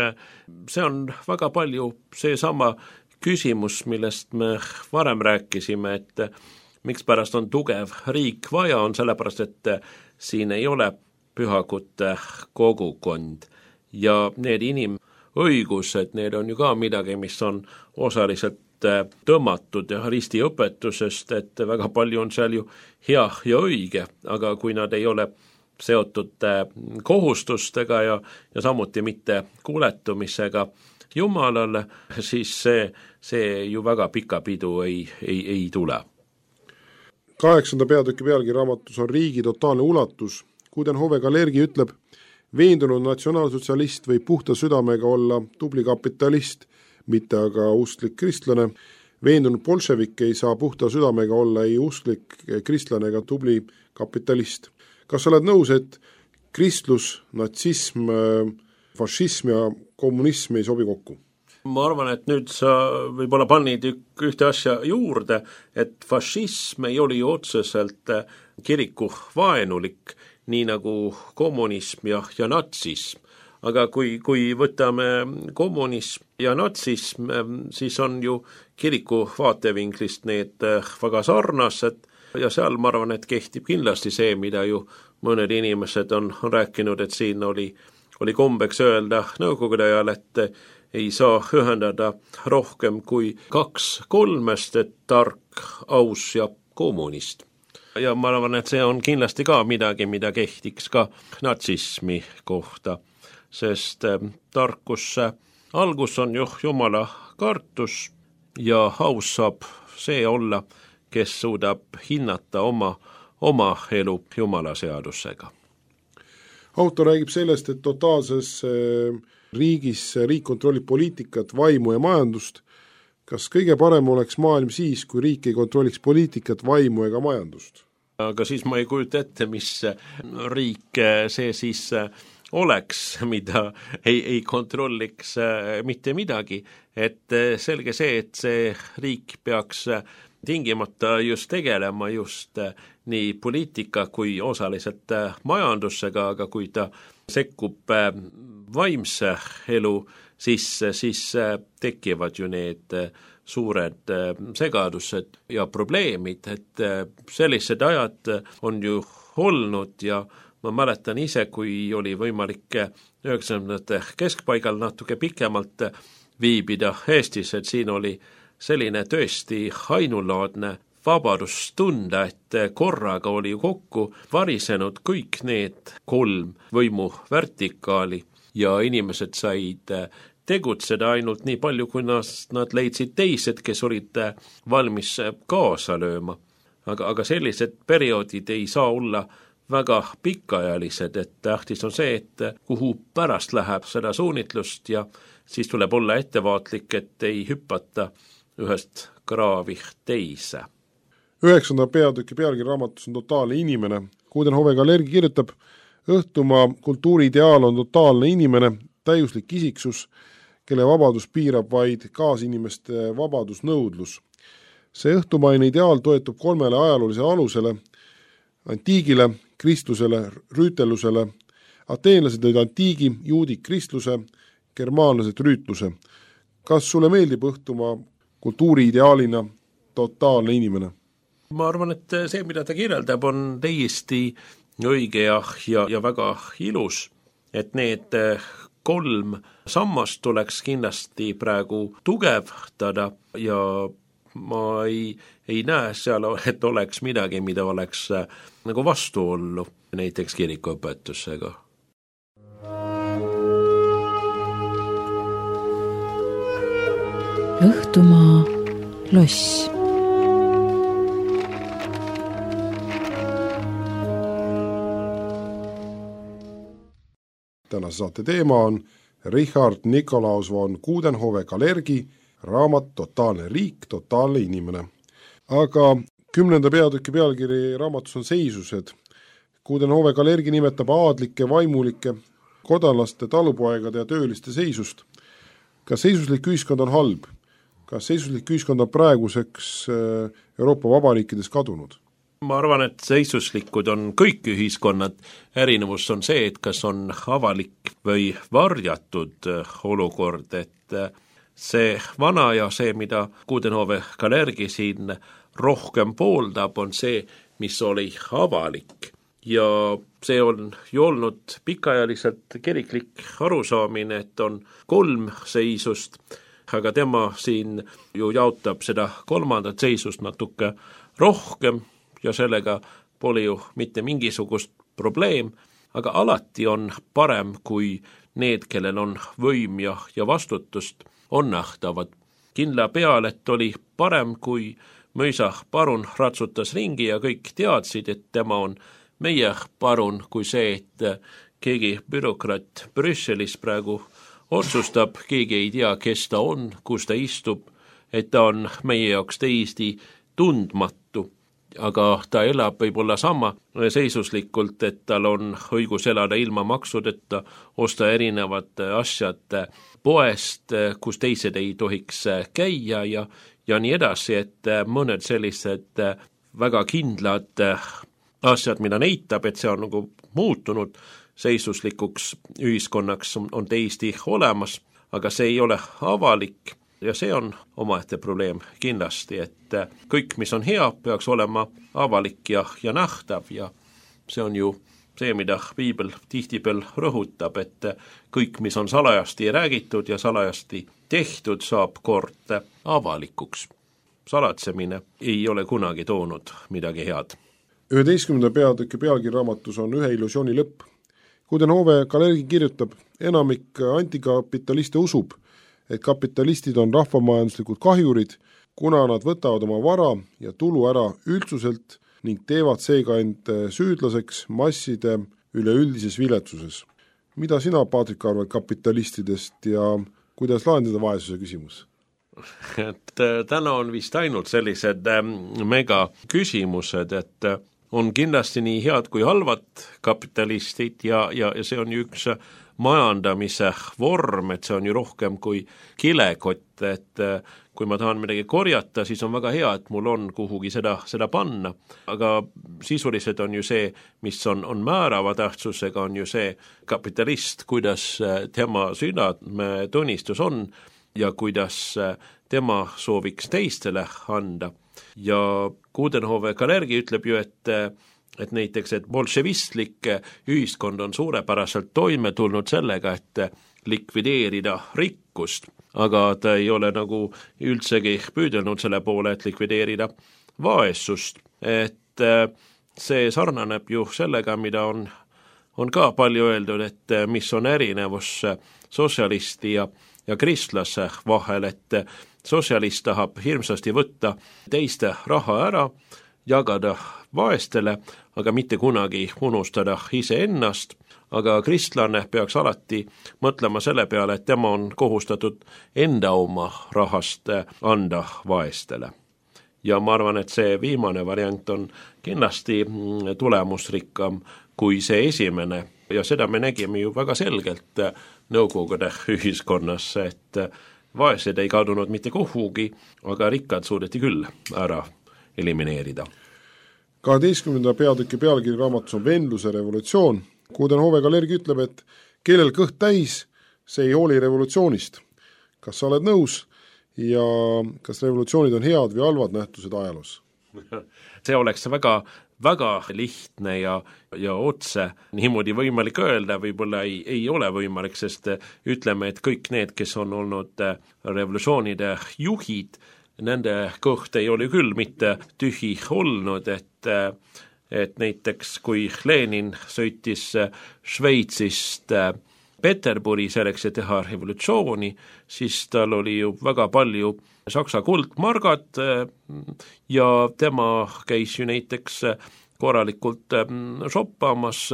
see on väga palju seesama küsimus, millest me varem rääkisime, et mikspärast on tugev riik vaja, on sellepärast, et siin ei ole pühakute kogukond ja need inimõigused, need on ju ka midagi, mis on osaliselt tõmmatud ristiõpetusest, et väga palju on seal ju hea ja õige, aga kui nad ei ole seotud kohustustega ja samuti mitte kuuletumisega Jumalale, siis see ju väga pika pidu ei tule. 8. peatüki pealgi raamatus on riigi totaalne ulatus. Coudenhove Kalergi ütleb, veendunud natsionaalsotsialist võib puhta südamega olla tubli kapitalist, mitte aga usklik kristlane. Veendunud bolševik ei saa puhta südamega olla ei usklik kristlane ega tubli kapitalist. Kas sa oled nõus, et kristlus, natsism, fašism ja kommunism ei sobi kokku? Ma arvan, et nüüd sa võib-olla pannid ühte asja juurde, et fašism ei oli ju otseselt kiriku vaenulik, nii nagu kommunism ja natsism. Aga kui võtame kommunism ja natsism, siis on ju kiriku vaatevinklist need väga sarnased ja seal ma arvan, et kehtib kindlasti see, mida ju mõned inimesed on rääkinud, et siin oli kombeks öelda nõukogude ajal, et ei saa ühendada rohkem kui 2-3, et tark, aus ja kommunist. Ja ma arvan, et see on kindlasti ka midagi, mida kehtiks ka natsismi kohta, sest tarkusse algus on ju Jumala kartus ja aus saab see olla, kes suudab hinnata oma elu Jumala seadusega. Autor räägib sellest, et totaalses riigis riik kontrollib poliitikat, vaimu ja majandust. Kas kõige parem oleks maailm siis, kui riik ei kontrolliks poliitikat, vaimu ega majandust? Aga siis ma ei kujuta ette, mis riik see siis oleks, mida ei kontrolliks mitte midagi. Et selge see, et see riik peaks tingimata just tegelema just nii poliitika kui osaliselt majandusega, aga kui ta sekkub vaimse elu sisse, siis tekivad ju need suured segadused ja probleemid, et sellised ajad on ju olnud ja ma mäletan ise, kui oli võimalik 90. keskpaigal natuke pikemalt viibida Eestis, et siin oli selline tõesti ainulaadne vabadus tunda, et korraga oli ju kokku varisenud kõik need 3 võimu vertikaali ja inimesed said tegutseda ainult nii palju, kui nad leidsid teised, kes olid valmis kaasa lööma. Aga sellised perioodid ei saa olla väga pikaajalised, et tähtis on see, et kuhu pärast läheb seda suunitlust ja siis tuleb olla ettevaatlik, et ei hüppata ühest kraavi teise. 9. peatüki pealgi raamatus on totaalne inimene. Coudenhove Kalergi kirjutab, õhtumaa kultuuriideaal on totaalne inimene, täiuslik isiksus, kelle vabadus piirab vaid kaasinimeste vabadusnõudlus. See õhtumaine ideaal toetub 3 ajaloolisele alusele, antiigile, kristlusele, rüütelusele. Ateenlased olid antiigi, juudid kristluse, germaanlased rüütluse. Kas sulle meeldib õhtumaa kultuuriideaalina totaalne inimene? Ma arvan, et see, mida ta kirjeldab, on täiesti õige ja väga ilus, et need 3 sammast tuleks kindlasti praegu tugevdada ja ma ei näe seal, et oleks midagi, mida oleks nagu vastuollu näiteks kirikuõpetusega. Õhtumaa loss. Tänase saate teema on Richard Nikolaus von Coudenhove-Kalergi raamat Totaalne riik, totaalne inimene. Aga 10. peatüki pealkiri raamatus on seisused. Coudenhove-Kalergi nimetab aadlike, vaimulike, kodanlaste, talupoegade ja tööliste seisust. Kas seisuslik ühiskond on halb? Kas seisuslik ühiskond on praeguseks Euroopa vabariikides kadunud? Ma arvan, et seisuslikud on kõik ühiskonnad. Erinevus on see, et kas on avalik või varjatud olukord, et see vana ja see, mida Coudenhove-Kalergi siin rohkem pooldab, on see, mis oli avalik. Ja see on ju olnud pikaajaliselt kiriklik arusaamine, et on 3 seisust, aga tema siin ju jaotab seda 3. seisust natuke rohkem ja sellega pole ju mitte mingisugust probleem, aga alati on parem, kui need, kellel on võim ja vastutust, on nähtavad. Kindla peal, et oli parem, kui mõisa parun ratsutas ringi ja kõik teadsid, et tema on meie parun, kui see, et keegi bürokraat Brüsselis praegu otsustab, keegi ei tea, kes ta on, kus ta istub, et ta on meie jaoks täiesti tundmatu, aga ta elab võib-olla sama seisuslikult, et tal on õigus elada ilma maksudeta, osta erinevad asjad poest, kus teised ei tohiks käia ja nii edasi, et mõned sellised väga kindlad asjad, mida näitab, et see on nagu muutunud seisuslikuks ühiskonnaks, on täiesti olemas, aga see ei ole avalik ja see on omaette probleem kindlasti, et kõik, mis on hea, peaks olema avalik ja nähtav ja see on ju see, mida Piibel tihtipeal rõhutab, et kõik, mis on salajasti räägitud ja salajasti tehtud, saab kord avalikuks. Salatsemine ei ole kunagi toonud midagi head. 11. peatüki pealkiri raamatus on Ühe illusiooni lõpp. Coudenhove-Kalergi kirjutab, enamik antikapitaliste usub, et kapitalistid on rahvamajanduslikud kahjurid, kuna nad võtavad oma vara ja tulu ära üldsuselt ning teevad seega end süüdlaseks masside üleüldises viletsuses. Mida sina, Paatrik, arvad kapitalistidest ja kuidas lahendada vaesuse küsimus? Et täna on vist ainult sellised mega küsimused, et on kindlasti nii head kui halvad kapitalistid ja see on ju üks majandamise vorm, et see on ju rohkem kui kilekott, et kui ma tahan midagi korjata, siis on väga hea, et mul on kuhugi seda panna, aga sisuliselt on ju see, mis on määrava tähtsusega, on ju see kapitalist, kuidas tema südametunnistus on ja kuidas tema sooviks teistele anda. Ja Coudenhove-Kalergi ütleb ju, et näiteks, et bolševistlik ühiskond on suurepäraselt toime tulnud sellega, et likvideerida rikkust, aga ta ei ole nagu üldsegi püüdelnud selle poole, et likvideerida vaesust. Et see sarnaneb ju sellega, mida on ka palju öeldud, et mis on erinevus sotsialisti ja kristlase vahel, et sotsialist tahab hirmsasti võtta teiste raha ära, jagada vaestele, aga mitte kunagi unustada iseennast, aga kristlane peaks alati mõtlema selle peale, et tema on kohustatud enda oma rahast anda vaestele. Ja ma arvan, et see viimane variant on kindlasti tulemusrikkam kui see esimene ja seda me nägime ju väga selgelt Nõukogude ühiskonnas, et vaesed ei kadunud mitte kuhugi, aga rikkad suudeti küll ära elimineerida. 12. peatüki pealkiri raamatus on Vendluse revolutsioon. Coudenhove-Kalergi ütleb, et kellel kõht täis, see ei hooli revolutsioonist. Kas sa oled nõus ja kas revolutsioonid on head või halvad nähtused ajaloos? See oleks väga lihtne ja otse niimoodi võimalik öelda, võib-olla ei ole võimalik, sest ütleme, et kõik need, kes on olnud revolutsioonide juhid, nende kõht ei ole küll mitte tühi olnud, et näiteks kui Lenin sõitis Šveitsist Peterburi selleks, et teha revolutsiooni, siis tal oli ju väga palju Saksa kuldmargad ja tema käis ju näiteks korralikult shoppamas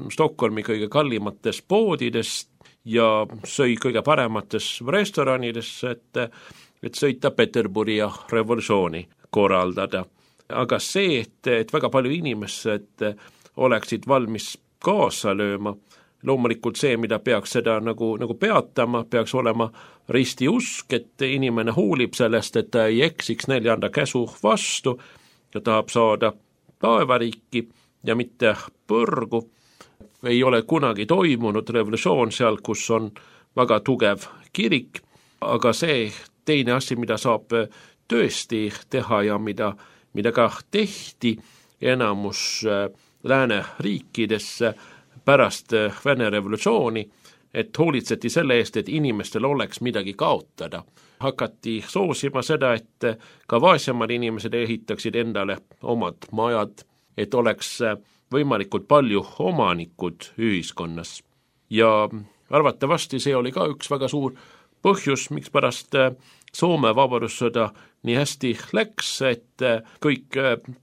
Stockholmi kõige kallimates poodides ja sõi kõige paremates restoranides, et sõita Peterburi ja revolutsiooni korraldada. Aga see, et väga palju inimesed oleksid valmis kaasa lööma, loomulikult see, mida peaks seda nagu peatama, peaks olema ristiusk, et inimene huulib sellest, et ta ei eksiks 4. käsu vastu ja tahab saada taevariiki ja mitte põrgu. Ei ole kunagi toimunud revolutsioon seal, kus on väga tugev kirik, aga see teine asi, mida saab tõesti teha ja mida ka tehti enamus lääneriikides pärast Vene revolutsiooni, et hoolitseti selle eest, et inimestel oleks midagi kaotada. Hakati soosima seda, et ka vaesemad inimesed ehitaksid endale omad majad, et oleks võimalikult palju omanikud ühiskonnas. Ja arvatavasti see oli ka üks väga suur põhjus, miks pärast Soome vabadussõda nii hästi läks, et kõik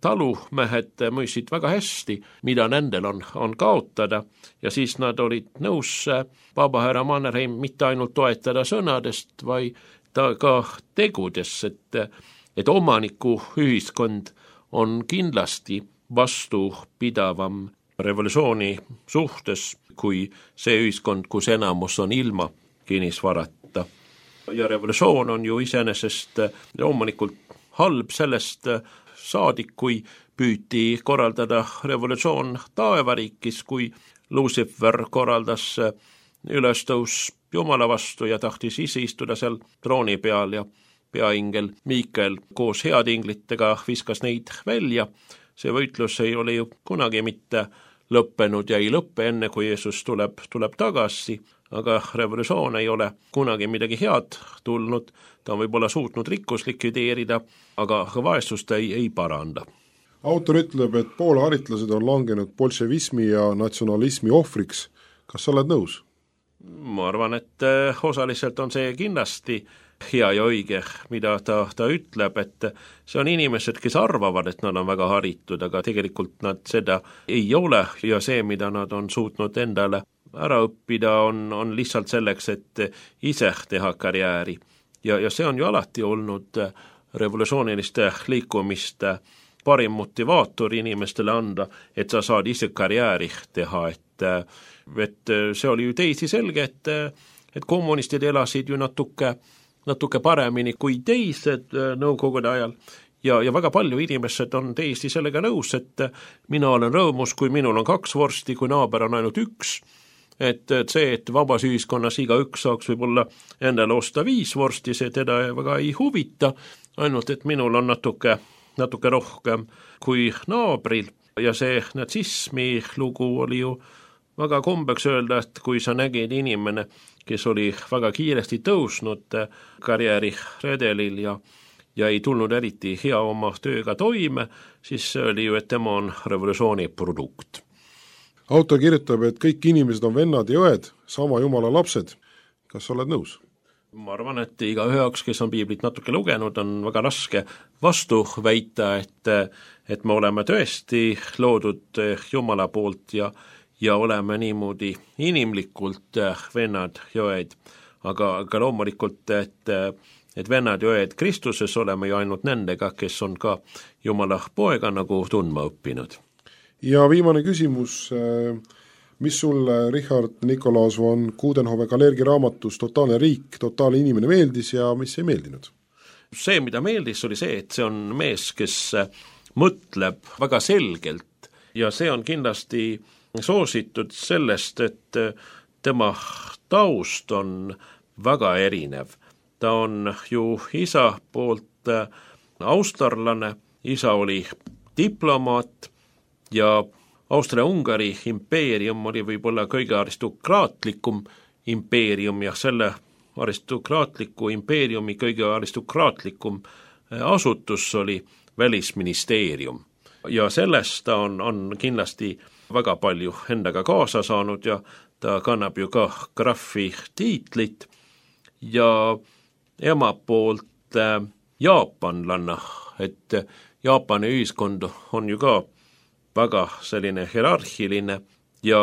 talumehed mõistsid väga hästi, mida nendel on kaotada, ja siis nad olid nõus vabahärra Mannerheim mitte ainult toetada sõnadest, vaid ka tegudes, et omaniku ühiskond on kindlasti vastupidavam revolutsiooni suhtes kui see ühiskond, kus enamus on ilma kinnisvarata. Ja revolutsioon on ju iseenesest loomulikult halb sellest saadik, kui püüti korraldada revolutsioon taevariikis, kui Lucifer korraldas ülestõus Jumala vastu ja tahtis ise istuda seal trooni peal ja peaingel Miikael koos heatinglitega viskas neid välja. See võitlus ei ole ju kunagi mitte lõppenud ja ei lõppe enne, kui Jeesus tuleb tagasi, aga revolutsioon ei ole kunagi midagi head tulnud, ta on võib-olla suutnud rikkus likvideerida, aga vaesust ei paranda. Autor ütleb, et Poola haritlased on langenud bolševismi ja natsionalismi ohvriks. Kas sa oled nõus? Ma arvan, et osaliselt on see kindlasti hea ja õige, mida ta ütleb, et see on inimesed, kes arvavad, et nad on väga haritud, aga tegelikult nad seda ei ole ja see, mida nad on suutnud endale ära õppida, on lihtsalt selleks, et ise teha karjääri. Ja see on ju alati olnud revolutsiooniliste liikumiste parim motivaator inimestele anda, et sa saad ise karjääri teha, et see oli ju teisi selge, et kommunistid elasid ju natuke paremini kui teised nõukogude ajal ja väga palju inimesed on teisi sellega nõus, et mina olen rõõmus, kui minul on 2 vorsti, kui naaber on ainult 1, et see, et vabas ühiskonnas igaüks saaks võib-olla endale osta 5 vorsti, see teda väga ei huvita, ainult et minul on natuke rohkem kui naabril ja see natsismi lugu oli ju väga kombeks öelda, et kui sa nägid inimene, kes oli väga kiiresti tõusnud karjääriredelil ja ei tulnud eriti hea oma tööga toime, siis see oli ju, et tema on revolutsiooni produkt. Autor kirjutab, et kõik inimesed on vennad ja õed, sama Jumala lapsed. Kas sa oled nõus? Ma arvan, et igaüheks, kes on piiblit natuke lugenud, on väga raske vastu väita, et me oleme tõesti loodud Jumala poolt ja oleme niimoodi inimlikult vennad ja õed. Aga loomulikult, et vennad ja õed Kristuses oleme ju ainult nendega, kes on ka Jumala poega nagu tundma õppinud. Ja viimane küsimus, mis sulle Richard Nikolaus von Coudenhove Kalergi raamatus Totaalne riik, totaalne inimene meeldis ja mis ei meeldinud? See, mida meeldis, oli see, et see on mees, kes mõtleb väga selgelt ja see on kindlasti soositud sellest, et tema taust on väga erinev. Ta on ju isa poolt austerlane, isa oli diplomaat ja Austria-Ungari impeerium oli võib-olla kõige aristokraatlikum impeerium ja selle aristokraatliku impeeriumi kõige aristokraatlikum asutus oli välisministeerium. Ja sellest ta on kindlasti väga palju endaga kaasa saanud ja ta kannab ju ka graffi tiitlit ja ema poolt jaapanlanna, et Jaapani ühiskond on ju ka väga selline hierarhiline ja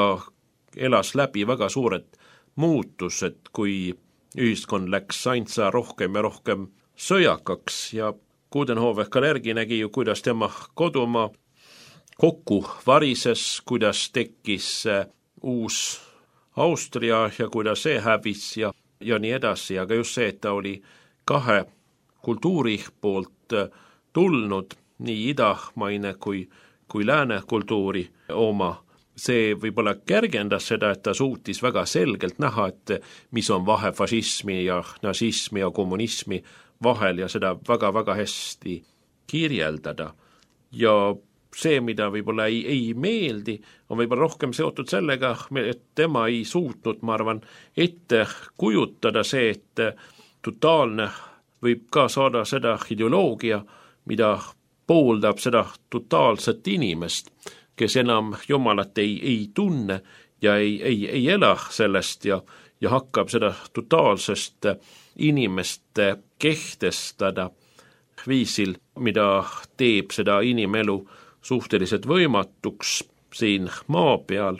elas läbi väga suured muutused, kui ühiskond läks ainsa rohkem ja rohkem sõjakaks ja Coudenhove-Kalergi nägi ju, kuidas tema kodumaa kokku varises, kuidas tekkis uus Austria ja kuidas see hävis ja nii edasi, aga just see, et ta oli kahe kultuuri poolt tulnud, nii idamaine kui lääne kultuuri oma, see võib-olla kergendas seda, et ta suutis väga selgelt näha, et mis on vahe fašismi ja nazismi ja kommunismi vahel ja seda väga-väga hästi kirjeldada. Ja see, mida võib-olla ei meeldi, on võib-olla rohkem seotud sellega, et tema ei suutnud, ma arvan, ette kujutada see, et totaalne võib ka saada seda ideoloogia, mida pooldab seda totaalset inimest, kes enam Jumalat ei tunne ja ei ela sellest ja hakkab seda totaalsest inimest kehtestada viisil, mida teeb seda inimelu suhteliselt võimatuks siin maa peal.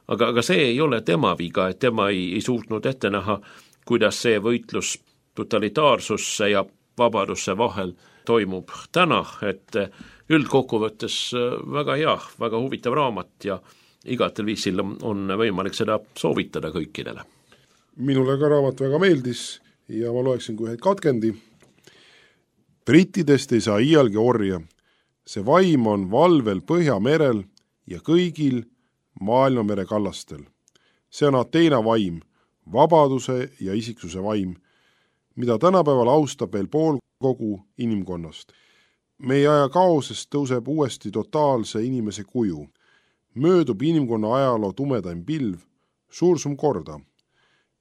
Aga see ei ole tema viga, et tema ei suutnud ette näha, kuidas see võitlus totalitaarsusse ja vabadusse vahel toimub täna, et üldkokkuvõttes väga hea, väga huvitav raamat ja igatel viisil on võimalik seda soovitada kõikidele. Minule ka raamat väga meeldis ja ma loeksin kui ühed katkendi. Brittidest ei saa iialgi orja. See vaim on valvel Põhjamerel ja kõigil maailmamere kallastel. See on Ateena vaim, vabaduse ja isiksuse vaim, mida tänapäeval austab veel pool kogu inimkonnast. Meie aja kaosest tõuseb uuesti totaalse inimese kuju. Möödub inimkonna ajaloo tumedaim pilv, suursum korda.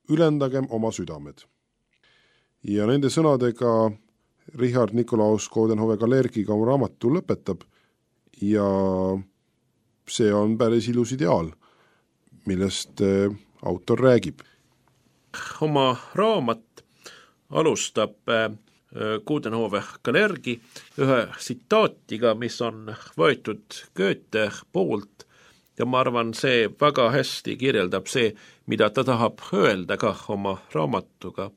Ülendagem oma südamed. Ja nende sõnadega Richard Nikolaus Coudenhove-Kalergiga oma raamatu lõpetab ja see on päris ilus ideaal, millest autor räägib. Oma raamat alustab Coudenhove-Kalergi ühe tsitaatiga, mis on võetud Goethe poolt ja ma arvan, see väga hästi kirjeldab see, mida ta tahab öelda ka oma raamatuga.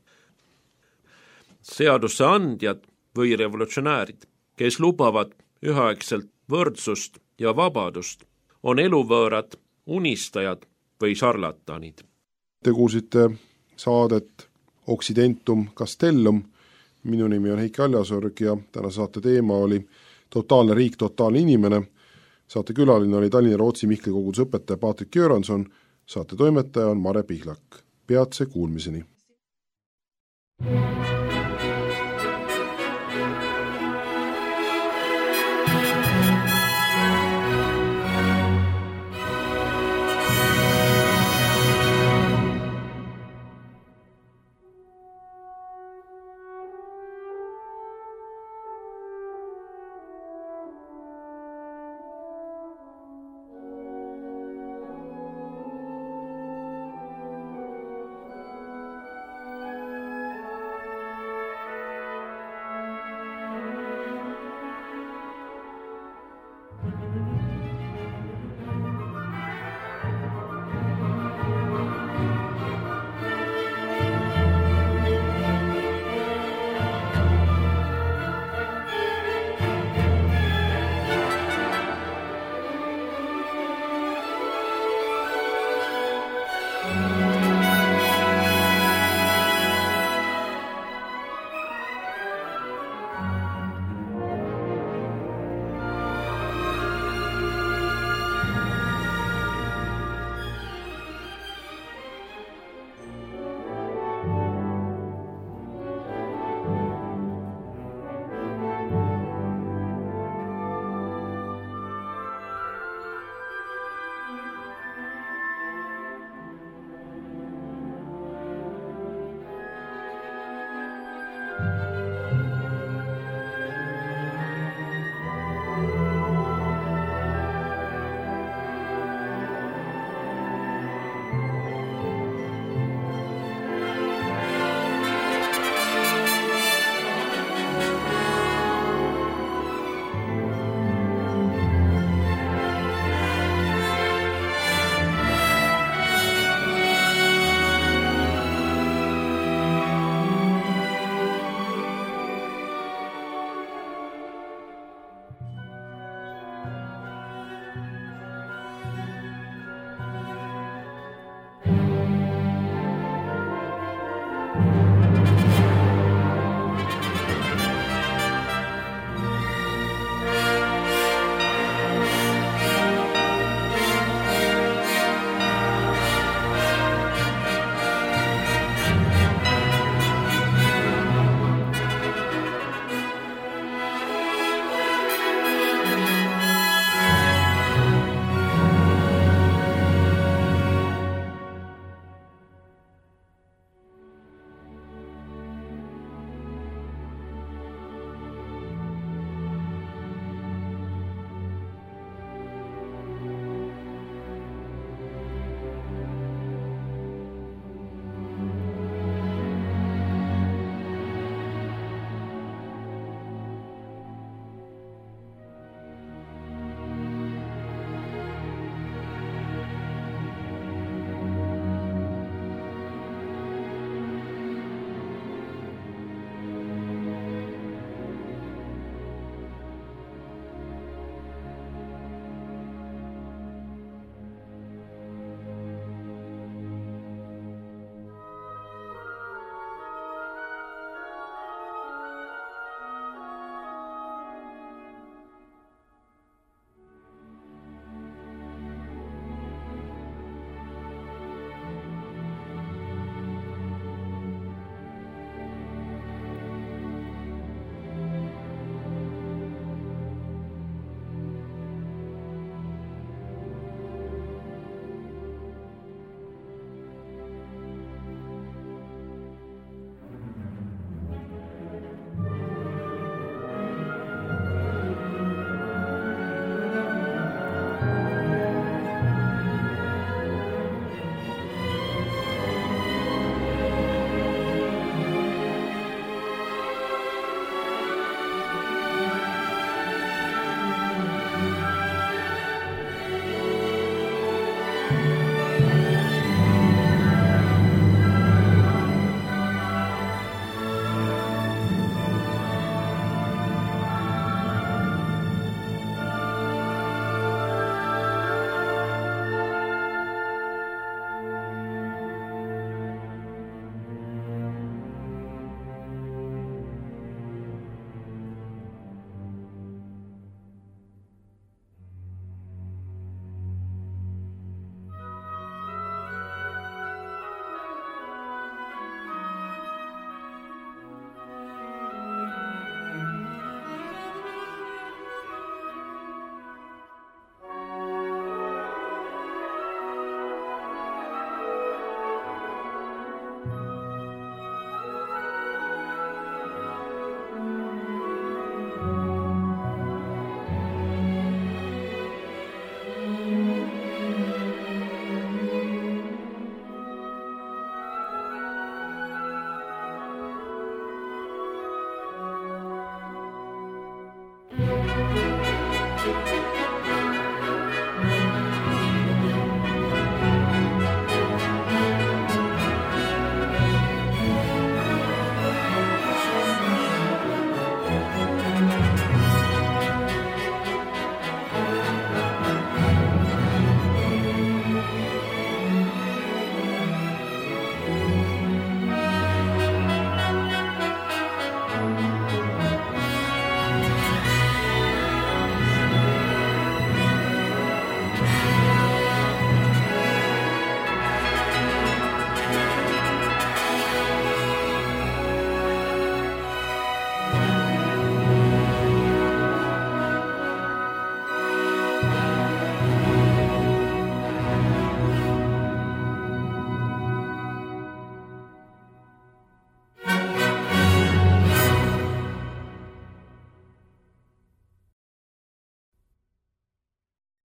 Seaduse andjad või revolutsionäärid, kes lubavad üheaegselt võrdsust ja vabadust, on eluvõõrad, unistajad või šarlatanid. Te kuulsite saadet Occidentum Castellum. Minu nimi on Heiki Aljasorg ja täna saate teema oli Totaalne riik, totaalne inimene. Saate külaline oli Tallinna Rootsi Mihkli koguduse õpetaja Patrik Göranson, saate toimetaja on Mare Pihlak. Peatse kuulmiseni.